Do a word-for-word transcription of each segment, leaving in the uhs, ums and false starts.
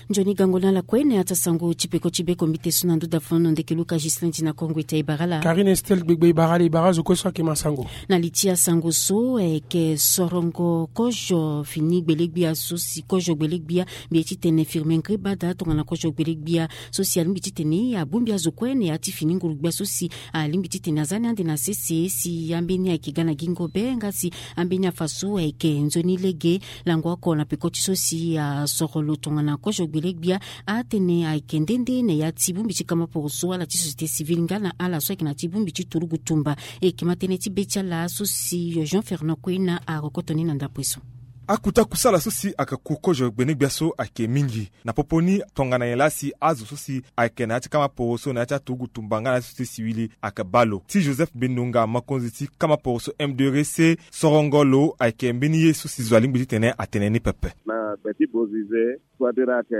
Nzoni gango na ala kue na ya ti asango ti peko ti beko mbi te so na nduda fono ndeke luka Gislin ti na kongo ita e bara ala. Karine Estel gbegbe e bara ala e bara azo kue so ayeke masango. Na li ti asango so ayeke sorongo kozo fini gbele-gbia so si kozo gbele-gbia mbi ye titene Firmin Ngrébada tongana kozo gbele-gbia so si alingbi titene abongbi azo kue na ya ti fini nguru-gbia so si alingbi titene aza ni ande na sese si ambeni ayeke ga na gingo be nga si ambeni afa so ayeke nzoni lege. Lango oko na peko ti so si asoro lo tongana kozo gbele-gbia atene ayeke nde nde na ya ti bongbi ti kama poroso ala ti société civile nga na ala so ayeke na ya ti bongbi ti turugu tumba. E yeke ma tënë ti be ti ala so si Jean Fernand Kwena arokoto ni na ndapre so. Akuta kusala so si ayeke ku kozo gbene-gbia so ayeke mingi. Na popo ni tongana nyen laa si azo so si ayeke na ya ti kama poroso na ya ti aturugu tumba nga na ya ti société civile ayeke baa lo. Ti Joseph Bendonga mokonzi ti kama poroso M deux re se sorongo lo ayeke mbeni ye so si zo alingbi titene atene ni pepe. Na gbe ti Bozize, soit dire ayeke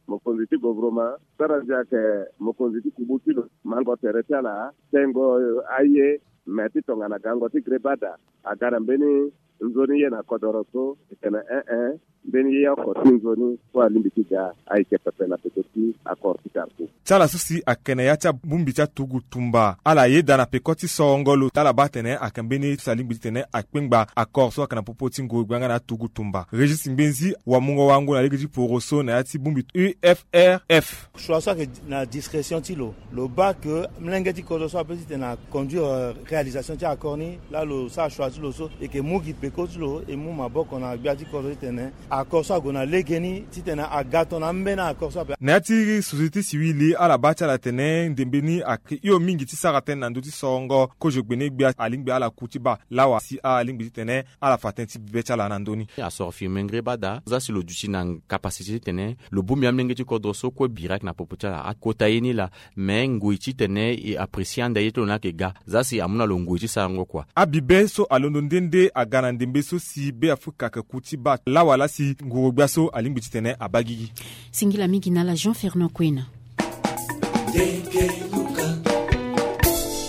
mokonzi ti govroma, sara ndia ayeke mokonzi ti kubu ti lo, mango tere ti ala, tengo aye, me ti tongana gango ti Ngrébada aga na mbeni nzoni ye na kodoro so, e tene e e, mbeni ye oko ti nzoni so alingbi ti ga ayeke pepe na peko ti accord ti Carrefour. Ti ala so si ayeke na ya ti abongbi ti aturugu tumba, ala yeda na peko ti sorongo lo ti ala baa atene ayeke mbeni ye so si alingbi titene akpengba accord so ayeke na popo ti nguru-gbia nga na aturugu tumba. Régis Ngbenzit wamungo wango na lege ti poroso na ya ti bongbi U F R F. Choix so ayeke na discrétion ti lo. Lo baa ke molenge ti kodro so apeut titene aconduire réalisation ti accord ni. Laa lo sara choix ti lo so e yeke mu gi peko ti lo e mu maboko na gbia ti kodro titene accord so ague na legeni titene aga tongana ambeni accord so ape. Na ya ti société civile ala baa ti ala tene ndembe ni ayeke hio mingi ti sara tënë na ndö ti sorongo kozo gbene-gbia alingbi ala ku ti baa lawa si alingbi titene ala fa tënë ti bibe ti ala na ndö ni. Asoro Firmin Ngrébada, za si lo duti na capacité titene lo bongbi amolenge ti kodro so kue bira ayeke na popo ti ala akota ye ni laa. Me ngoi titene e apprécier ande ye ti lo ni ayeke ga. Za si amu na lo ngoi ti sarango kua. Abibe so alondo nde nde aga na ndembe so si Be Afrika ayeke ku ti baa lawa laa si nguru-gbia so alingbi titene abaa gigi. Singila mingi na ala Jean Fernand Kwena.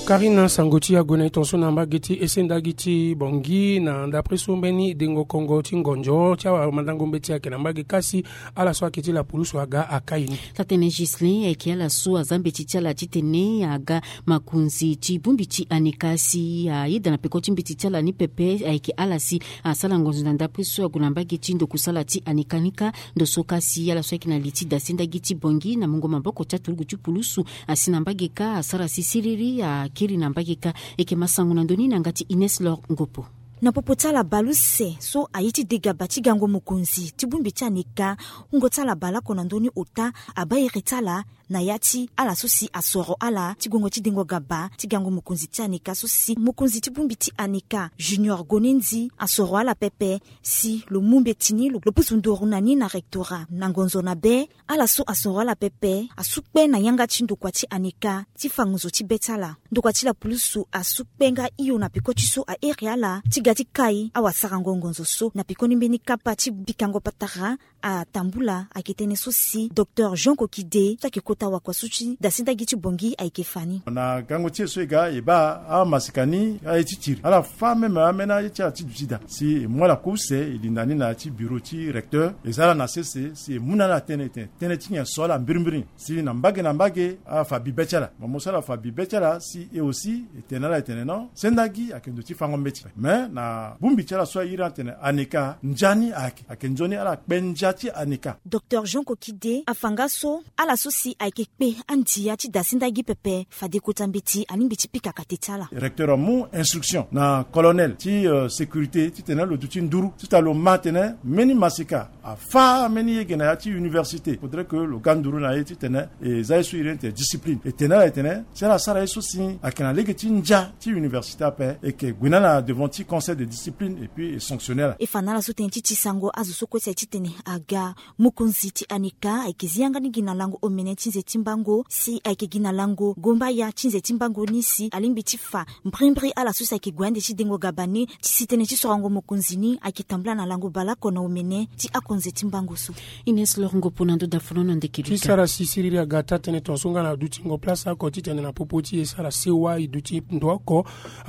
Karine, sango ti ague na e tongaso na mbage ti esendagi ti Bangui na ndapre so mbeni dengo kongo ti ngonzo ti awamandango mbeti ayeke na mbage kasi ala so ayeke ti lapulusu aga akai ni. Taa-tënë Ghislain ayeke ala so aza mbeti ti ala titene aga makonzi ti bongbi ti Aneka si ayeda na peko ti mbeti ti ala ni pepe ayeke ala si asara ngonzo na ndapre so ague na mbage ti ndokusala ti Aneka ni kâ. Ndo so kasi ala so ayeke na li ti dasendagi ti Bangui na mungo maboko ti aturugu ti pulusu asi na mbage kâ asara si siriri akiri na mbage kâ. E yeke ma sango na ndö ni na yanga ti Ines Lor Ngopo. Na popo ti ala baleuse so aye ti degaba ti gango mokonzi ti bongbi ti Aneka, wungo ti ala baleoko na ndö ni ota abaa iri ti ala na ya ti ala so si asoro ala ti gongo ti dengo gaba ti gango mokonzi ti Aneka so si mokonzi ti bongbi ti Aneka Junior Gonendi asoro ala pepe si lo mu mbeti ni lo pusu nduru na ni na rectorat na ngonzo na be. Ala so asoro ala pepe asu kpe na yanga ti ndokua ti Aneka ti fa ngonzo ti be ti ala. Ndokua ti lapulusu asu kpe nga hio na peko ti so a iri ala ti ga ti kai awasarango ngonzo so na pekoni mbeni kapa ti bikango patara atambula ayeke tënë so si docteur Jean Kokide so ayeke kota wakua so ti dasendagi ti Bangui ayeke fa ni. Na gango ti e so e ga e baa amasika ni aye ti tiri ala fâ même ameni aye ti ala ti duti daa si e mu ala kue use e linda ni na ya ti bureau ti recteur e za ala na sese si e mu na ala tënë tënë tënë ti nyen so ala mbirimbiri. Si na mbage na mbage afa bibe ti ala mo mo so ala fa bibe ti ala si e aussi e tene na ala e tene non sendagi ayeke ndo ti fango mbeti. Mais na bongbi ti ala so a iri atene Aneka ndia ni ayeke ayeke nzoni ala kpe ndia ti Aneka. Docteur Jean Kokide afa nga so ala so si ayeke kpe andia ti dasendagi pepe fade kota mbeti alingbi ti pika kate ti ala. Recteur amu instruction na colonel ti sécurité titene lo duti nduru titene lo ma atene mbeni masika afâ mbeni yege na ya ti université faudrait que lo ga nduru na ye titene e za ye so iri ni tene discipline e tene ala e tene si ala sara ye so si ayeke na lege ti ndia ti université ape e yeke gue na ala devant ti conseil de discipline et puis e sanctionner ala. E fa na ala so tënë ti ti sango azo so kue si aye titene aga mokonzi ti Aneka ayeke zi yanga ni gi na lango omene ti nze ti mbango si ayeke gi na lango gombaya ti nze ti mbango ni si alingbi ti fa mbrimbri ala so si ayeke gue ande ti dengo gaba ni ti si tënë ti sorango mokonzi ni ayeke tambula na lango baleoko na omene ti ako Nze ti mbango so. Ines Lorongo pona ndo da fono na ndeke ti luta. Sara si siriri aga taa tënë tongaso nga na dutingo place oko titene na popo ti e sara sewa e duti ndo oko.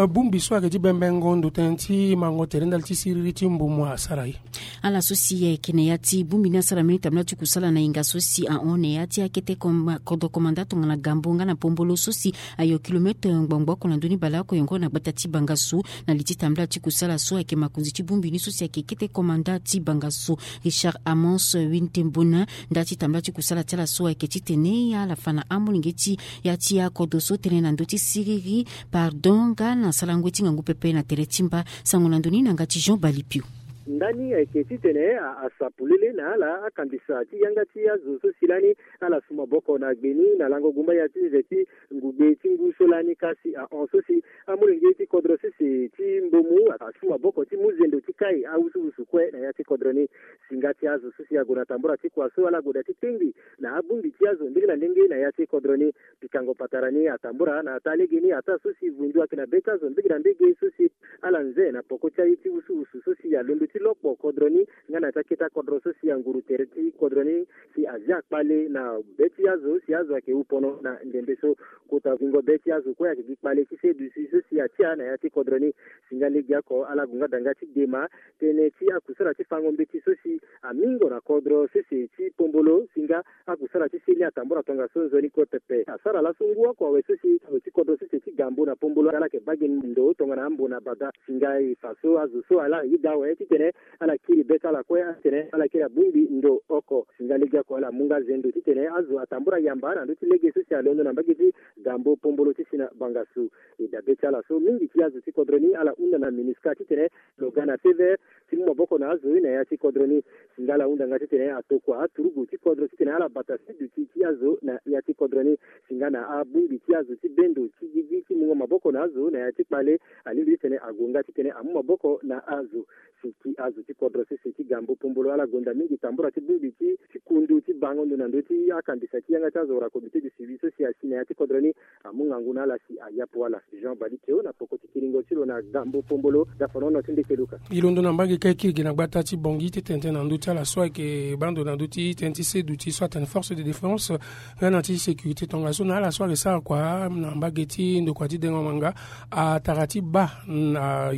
Bongbi so ayeke ti bembengo ndo tënë ti mango tere ndali ti siriri ti mbumu asara e. Ala so si ayeke na ya ti bongbi ni asara mbeni tambula ti kusala na hinga so si ahon na ya ti akete kodro komanda tongana gambo nga na pombolo so si ayo kilometre ngbongboko na ndoni baleoko yongo na gbata ti bangasu. Na li ti tambula ti kusala so ayeke makonzi ti bongbi ni so si ayeke kete komanda ti bangasu, Richard Amos Wintembona. Nda ti tambula ti kusala ti ala so ayeke titene ala fa na amolenge ti ya ti akodro so tënë na ndö ti siriri, pardon nga na sarango ti ngangu pepe na tere ti mba. Sango na ndö ni na nga ti Jean Balipio. Ndani ayeke titene asa polele na ala akambisa ti yanga ti azo so si lani ala su maboko na gbe ni na lango gumbaya ti nze ti ngugbe ti ngu so lani kasi ahon so si amolenge ti kodro sese ti mbomu asu maboko ti mu zendo ti kai awusuwusu kue na ya ti kodro ni. Singa ti azo so si ague na tambura ti kua so ala gue daa ti tengbi na abongbi ti azo ndenge na ndenge na ya ti kodro ni. Pikango patara ni atambura na ata lege ni ata so si vundu ayeke na be ti azo mbege na mbege so si ala nze na poko ti aye ti wusuwusu so si alondo ti lokpo kodro ni nga na ya ti akete akodro so si anguru tere ti kodro ni si azia kpale na be ti azo si azo ayeke wu pono na ndembe so. Kota zingo be ti azo kue ayeke gi kpale ti seduti so si atia na ya ti kodro ni. Singa legeoko ala gue nga daa nga ti dema tënë ti akusala ti fango mbeti so si amingo na kodro sese ti pombolo singa akusala ti seni atambula tongaso nzoni kue pepe. Asara laso ngu oko awe so si azo ti kodro sese ti gambo na pombolo ala yeke baa ge ndo tongana ambo na bada. Singa e fa so azo so ala yeda awe titene ala kiri be ti ala kue atene ala kiri abongbi ndo oko. Singa legeoko ala mu nga zendo titene azo atambula yamba na ndö ti lege so si alondo na mbage ti gambo pombolo ti si na bangasu. E dabe ti ala so mingi ti azo ti kodro ni ala hunda na MINUSCA titene lo ga na feu vert ti mu maboko na azo na ya ti kodro ni. Singa ala hunda nga titene atokua aturugu ti kodro titene ala bata si duti ti azo na ya ti kodro ni. Singa na abongbi ti azo ti bendo ti gigi ti mungo maboko na azo na ya ti kpale alingbi titene ague nga titene amu maboko na azo. Si ti azo ti kodro sese ti gambo pombolo ala gonda mingi tambura ti bongbi ti ti kundu ti bango ndo na ndö ti akandisa ti yanga ti azo wala comité de suivi so si asi na ya ti kodro ni. Amu ngangu na ala si ayapu ala. Jean Balikeo na poko ti kiringo ti lo na gambo pombolo. Dafanono ti ndeke luka. E londo na mbage ka e kiri gi na gbata ti Bangui ti tene tënë na ndö ti ala so ayeke baa ndo na ndö ti tënë ti seduti so atene force de défense nga na ti sécurité tongaso na ala so ayeke sara kua na mbage ti ndokua ti dengo manga atara ti baa na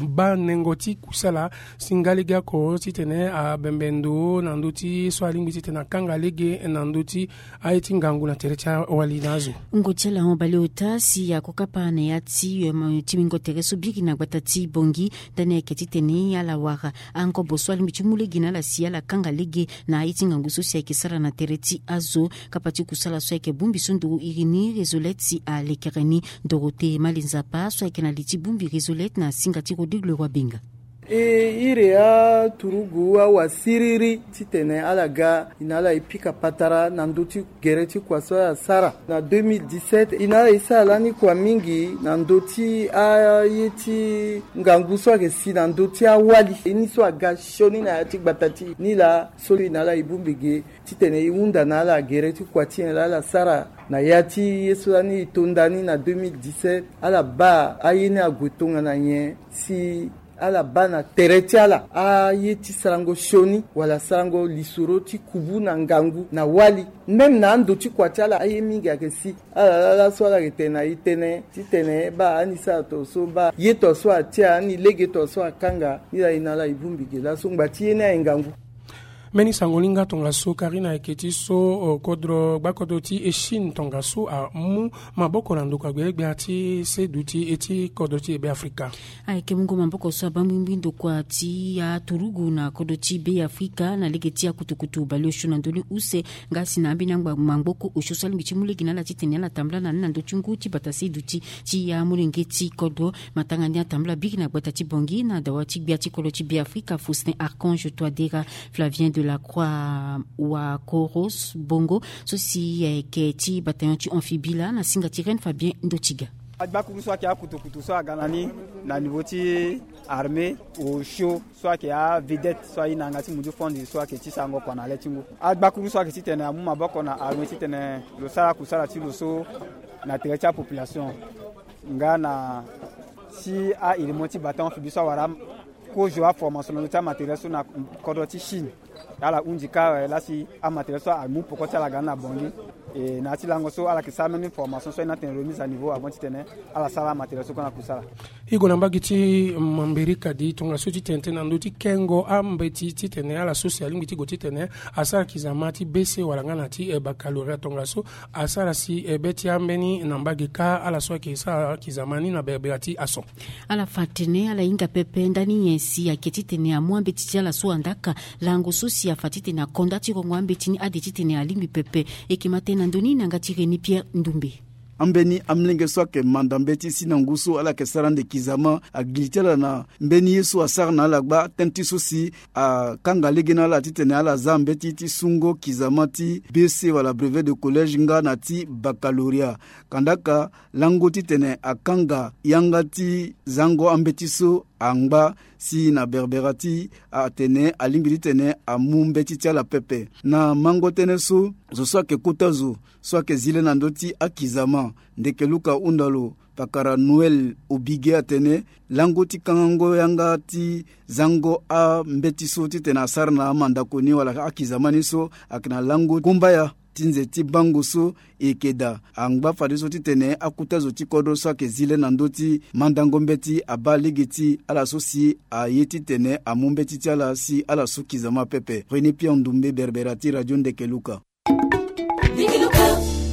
baa nengo ti kusala si nga lege oko titene abembe ndo na ndö ti so alingbi titene akanga lege na ndö ti aye ti ngangu na tere ti awali na azo. Ngo ti ala hon baleota si akokapa na ya ti ti mingo tere so biri na gbata ti Bangui. Ndani ayeke titene ala wara angobo so alingbi ti mu lege na ala si ala kanga lege na aye ti ngangu so si ayeke sara na tere ti azo. Kapa ti kusala so ayeke bongbi so nduru iri ni Résolette si alekere ni Dorothée Mali Nzapa so ayeke na li ti bongbi Résolette na singa ti Rodrigue Leroy Benga. E iri aturugu awa siriri titene ala ga e na ala e pika patara na ndö ti gere ti kua so ala sara na deux mille dix-sept. E na ala e sara lani kua mingi na ndö ti aye ti ngangu so ayeke si na ndö ti awali. E ni so aga sioni na ya ti gbata ti e ni laa so e na ala e bongbi ge titene e hunda na ala gere ti kua ti nyen laa ala sara na ya ti ye so lani e to nda ni na deux mille dix-sept. Ala baa aye ni ague tongana nyen si ala baa na tere ti ala aye ti sarango sioni wala sarango lisoro ti kubu na ngangu na wali. Même na ando ti kua ti ala aye mingi ayeke si ala laa laso ala yeke tene na e tënë titene baa ani sara tongaso baa ye tongaso atia ani lege tongaso akanga. Ni laa e na ala e bongbi ge laso ngba ti ye ni aye ngangu. Mbeni sango ni nga tongaso Karina ayeke ti so kodro gbakodro ti e Chine tongaso amu maboko na ndokua gbelegbia ti seduti e ti kodro ti e Be Afrika. Ayeke mungo maboko so abaa mbingbi ndokua ti aturugu na kodro ti Be Afrika na lege ti akutukutu baleosio na ndö ni use nga si na ambeni angba mangboko osio so alingbi ti mu lege na ala titene ala tambula na ni na ndö ti ngu ti bata seduti ti amolenge ti kodro. Matanga ni atambula biri na gbata ti Bangui na dawa ti gbia ti kodro ti Be Afrika Faustin Archange Touadéra Flavien de la Croix Wakoros Bongo so si ayeke ti bataillon ti amphibie laa na singa ti Reine Fabien Ndotiga. Agbakuru so ayeke akutukutu so aga na ni na niveau ti armée osio so ayeke avedette so aye na yanga ti mundu fondi so ayeke ti sarango kua na le ti ngu. Agbakuru so ayeke titene amu maboko na armée titene lo sara akusala ti lo so na tere ti apopulation nga na si a-élément ti bataillon amphibie so awara Kozo aformation na ndö ti amatériel so na kodro ti Chine. Ala hunzi kâ lasi amatériel so amu peko ti ala ga ni na Bangui. E na ya ti lango so ala yeke sara mbeni formation so ayeke na tene remise à niveau avant titene ala sara amatériel so kue na kusala. E gue na mbage ti Mambérika di tongaso titene tënë na ndö ti kengo ambeti titene ala so si alingbi ti gue titene asara kizama ti B C wala nga na ti baccalauréat tongaso asara si be ti ambeni na mbage kâ ala so ayeke sara kizama ni na berbera ti aso. Ala fa atene ala hinga pepe ndani nyen si ayeke titene amu ambeti ti ala so andaa ka. Lango so si afa titene akonda ti rongo ambeti ni ade titene alingbi pepe. E yeke ma tënë na ndö ni na yanga ti René Pierre Ndoumbe. Ambeni amolenge so ayeke manda mbeti si na ngu so ala yeke sara ande kizama, agili ti ala na mbeni ye so asara na ala gba tënë ti so si akanga lege na ala titene ala za mbeti ti sungo kizama ti B C wala brevet de collège nga na ti baccalauréat. Kandaka lango titene akanga yanga ti zango ambeti so angba si na berbera ti atene alingbi titene amu mbeti ti ala pepe. Na mango tënë so, zo so ayeke kota zo so ayeke zi le na ndö ti akizama, ndeke luka hunda lo, pakara Noël Obige atene lango ti kangango yanga ti zango ambeti so titene asara na amandako ni wala akizama ni so ayeke na lango kumbaya ti nze ti bango so e yeke daa. Angba fadeso titene akota zo ti kodro so ayeke zi le na ndö ti mandango mbeti abaa lege ti ala so si aye titene amu mbeti ti ala si ala su kizama pepe. René Pierre Ndoumbe, berbera ti radio ndeke luka.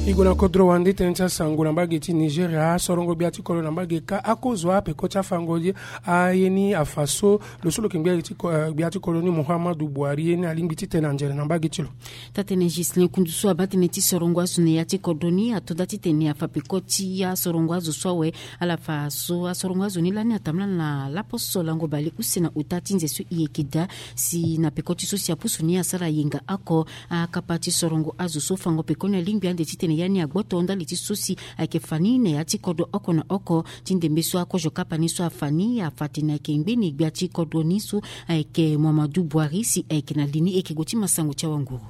E gue na kodro wande tënë ti asango na mbage ti Nigeria, asorongo gbia ti kodro na mbage kâ akozo apeko ti afango ye aye ni afa so lo so lo yeke gbia ti ko-, eh, gbia ti kodro ni Muhammadu Buhari ye ni alingbi titene anzere na mbage ti lo. Taa-tënë Ghislain Kundu so abaa tënë ti sorongo azo na ya ti kodro ni ato daa titene afa peko ti asorongo azo so awe. Ala fa so asorongo azo ni lani atambula na laposo lango bale use na ota ti nze so e yeke daa si na peko ti so si apusu ni asara yenga oko. Akapa ti sorongo azo so fango peko ni alingbi ande titene ya ni agboto ndali ti so si ayeke fa ni na ya ti kodro oko na oko. Ti ndembe so akozo kapa ni so afa ni afa tene ayeke ngbeni gbia ti kodro ni so ayeke Muhammadu Buhari si ayeke na li ni. E yeke gue ti masango ti awanguru.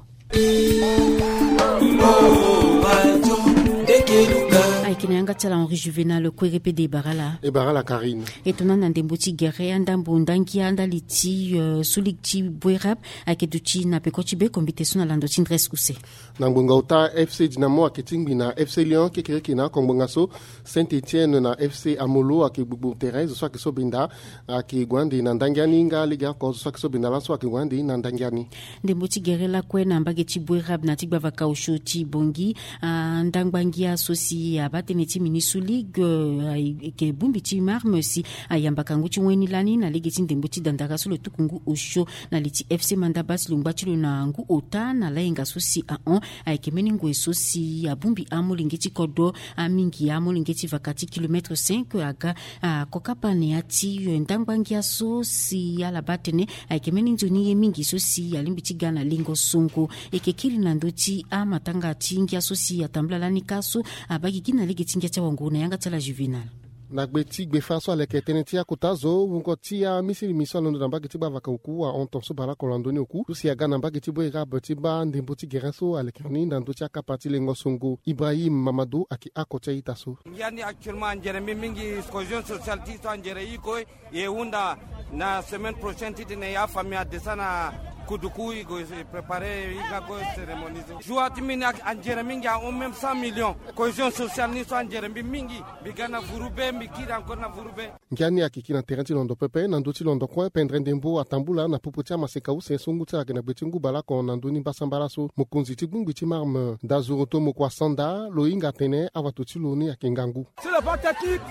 Ayeke na yanga ti ala Henri Juvenal Kouéré pede e bara ala. E bara ala Karine. E tongana na ndembo ti gere andambo ndangia ndali ti, eh, sulik ti Boerab ayeke duti na peko ti be kombite so na lando ti ndres use. Na ngbonga ota F C Dynamo ayeke tingbi na F C Lyon kekereke na oko ngbonga so. Saint-Etienne na F C Amolo ayeke gbugbu terrain zo so ayeke so benda ayeke gue ande na ndangia ni nga lege oko zo so ayeke so benda laso ayeke gue ande na ndangia ni. Ndembo ti gere lakue na mbage ti Boerab na ti gbavaka osio ti Bangui, ah, ndangba ngia so si abaa tënë ti mini sous ligue, eh, ayeke bongbi ti Marme si ayamba kangu ti wen ni lani na lege ti ndembo ti dandara so lo tuku ngu osio na li ti F C Mandaba si lo ngba ti lo na ngu ota na layenga so si ahon. Ayeke mbeni ngoi so si abongbi amolenge ti kodro, amingi amolenge ti vaka ti kilomètre cinq aga, ah, akokapa na ya ti, eh, ndangba ngia so si ala baa tënë ayeke mbeni nzoni ye mingi so si alingbi ti ga na lingo songo. E yeke kiri na ndö ti amatanga ti ngia so si atambula lani kâ so abaa gigi na lege ti ngia ti awanguru na yanga ti ala Juvenal. Na gbe ti gbefa so aleke tënë ti akota zo wungo ti amisilimi so alondo na mbage ti gbavaka oku ahon ton so baleoko na ndö ni oku so si aga na mbage ti Boerab ti baa ndembo ti gere so aleke ni na ndö ti akapa ti lengo songo. Ibrahim Mamadou ayeke oko ti a-ita so. Ngia ni actuellement anzere mbi mingi, cohésion sociale ti so anzere i kue. E hunda na semaine prochaine titene ya famille adescend na Kuduku, e go préparer e ga go cérémonie so. Joie ti mbi ni anzere mingi ahon même cent millions. Cohésion sociale ni so anzere mbi mingi. Mbi ga na vuru be, mbi kiri encore na vuru be. Ngia ni ayeke kiri na terrain ti londo pepe na ndö ti londo kue, pendre ndembo atambula na popo ti amaseka use so ngu ti ala ayeke na gbe ti ngu baleoko na ndö ni mbasambala so. Mokonzi ti bongbi ti Marme, Dazoroto Mokwa Sanda, lo hinga atene awato ti lo ni ayeke ngangu. Sur le plan technique,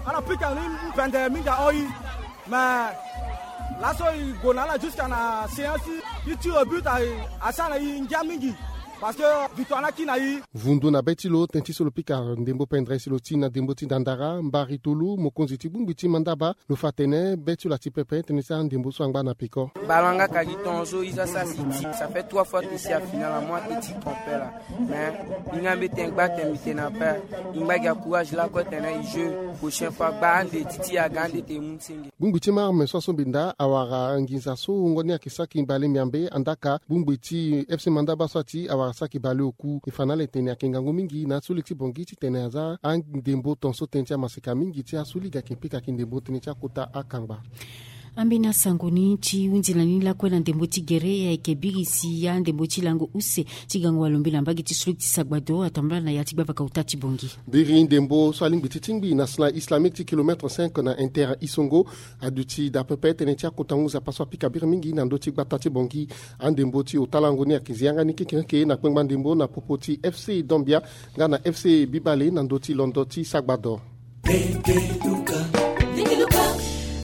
ala pika ni mpende mingi ahon e. Mais laso e gue na ala jusqu'à na séance ti tir au but, a, asara na e ngia mingi. Parce que victoire ni akiri na e. Vundu na be ti lo tënë ti so lo pika ndembo pendre si lo ti na ndembo ti dandara, Mbari Tolu, mokonzi ti bongbi ti Mandaba, lo fa atene be ti lo ati pepe tënë ti andembo so angba na peko. Ballon nga ka gi tongaso e za sa si ti. Ça fait trois fois que si a finale amu ate ti trompé là. Mais e nga mbi tene gba tene mbi tene na père. E ngba gi acourage lakue tene e jeu prochaine fois gba ande ti ti aga ande tene e mu senge. Bongbi ti Marme so aso mbi nda awara nginza so wungo ni ayeke saki mbale miambe, andaka bongbi ti F C Mandaba so ati awara saki baleoku. E fa na ala tene ayeke ngangu mingi na aso lege ti Bangui titene aza andembo tongaso tënë ti amaseka mingi ti aso lege ayeke pika ayeke ndembo tënë ti akota akangba. Ambeni asango ni ti hunzi na ni lakue na ndembo ti gere, ayeke biri si ya ndembo ti lango use ti gango walo mbela mbage ti suluki ti sagbado atambula na ya ti gbavaka ota ti bongi. Biri ndembo so alingbi ti tingbi na sina islamique ti kilomètre cinq na inter isongo aduti daa pepe tënë ti akota ngu nzapa so apika biri mingi na ndö ti gbata ti bongi. Andembo ti ota lango ni ayeke zi yanga ni kekereke na kpengba ndembo na popo ti FC Dambia nga na FC Bibale na ndö ti londo ti sagbado.